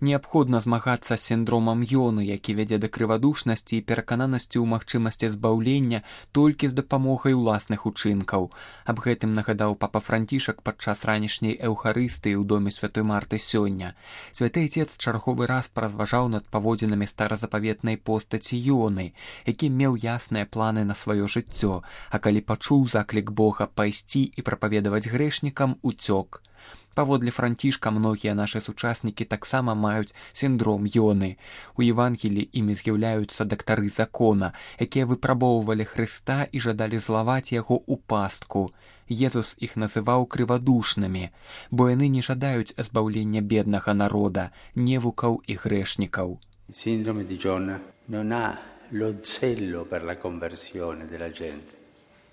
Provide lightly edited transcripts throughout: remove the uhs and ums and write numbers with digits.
Неабходна змагацца з сіндромам Йоны, які вядзе да крывадушнасці і перакананасці ў магчымасці збаўлення толькі з дапамогай уласных учынкаў. Аб гэтым нагадаў папа Францішак падчас ранішняй эўхарыстыі ў доме святой Марты сёння. Святы Отец чарговы раз паразважаў над паводзінамі старазапаветнай постаці Йоны, які меў ясныя планы на сваё жыццё, а калі пачуў заклік Бога пайсці і прапаведаваць грэшнікам, уцёк. Паводле Францішка, многія нашы сучаснікі таксама маюць сіндром Йоны. У Евангеліі імі з'яўляюцца дактары закона, якія выпрабоўвалі Хрыста і жадалі злаваць яго ў пастку. Езус іх называў крывадушнымі, бо яны не жадаюць збаўлення беднага народа, невукаў і грэшнікаў. Синдрome di Giona non ha lo zelo per la conversione della gente.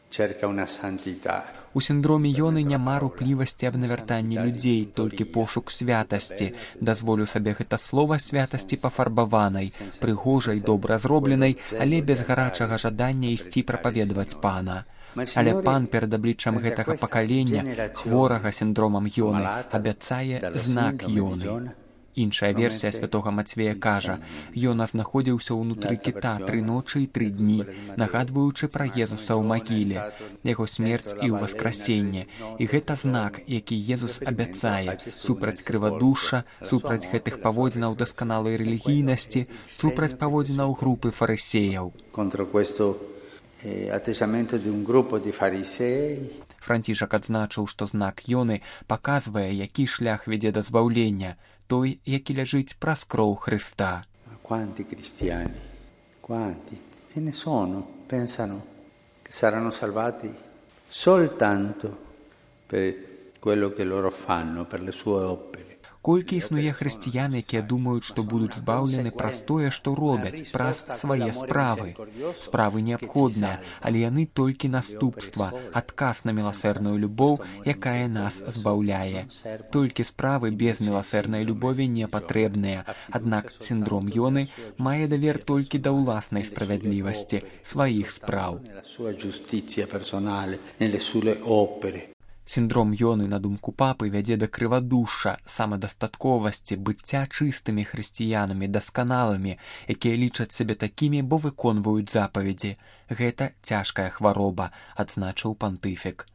Cerca una santità. У сіндроме Йоны няма руплівасці аб навяртанні людзей, толькі пошук святасці. Дазволю сабе гэта слова святасці пафарбаванай, прыгожай, добра зробленай, але без гарачага жадання ісці прапаведаваць пана. Але пан перад абліччам гэтага пакалення, хворага сіндромам Йоны, абяцае знак Йоны. Іншая версія святога Мацвея кажа, Йона знаходзіўся ўнутры кіта 3 ночы і 3 дні, нагадваючы пра Езуса ў магіле, яго смерць і ўваскрасенне. І гэта знак, які Езус абяцае супраць крывадушша, супраць гэтых паводзінаў дасканалай рэлігійнасці, супраць паводзінаў групы фарысеяў. Францішак адзначыў, што знак Йоны паказвае, які шлях вядзе да збаўлення, той, які ляжыць праз кроў Хрыста. Quanti cristiani, quanti ce ne sono, pensano che saranno salvati soltanto per quello che loro fanno, per le sue opere. Колькі існуе хрысціян, якія думаюць, што будуць збаўлены праз тое, што робяць, праз свае справы. Справы неабходныя, але яны толькі наступства, адказ на міласэрную любоў, якая нас збаўляе. Толькі справы без міласэрнай любові не патрэбныя, аднак сіндром Йоны мае давер толькі да ўласнай справядлівасці, сваіх спраў. Сіндром Йоны, на думку папы, вядзе да крывадушша, самадастатковасці, быцця чыстымі хрысціянамі, дасканалымі, якія лічаць сябе такімі, бо выконваюць запаведзі. Гэта цяжкая хвароба, адзначыў пантыфік.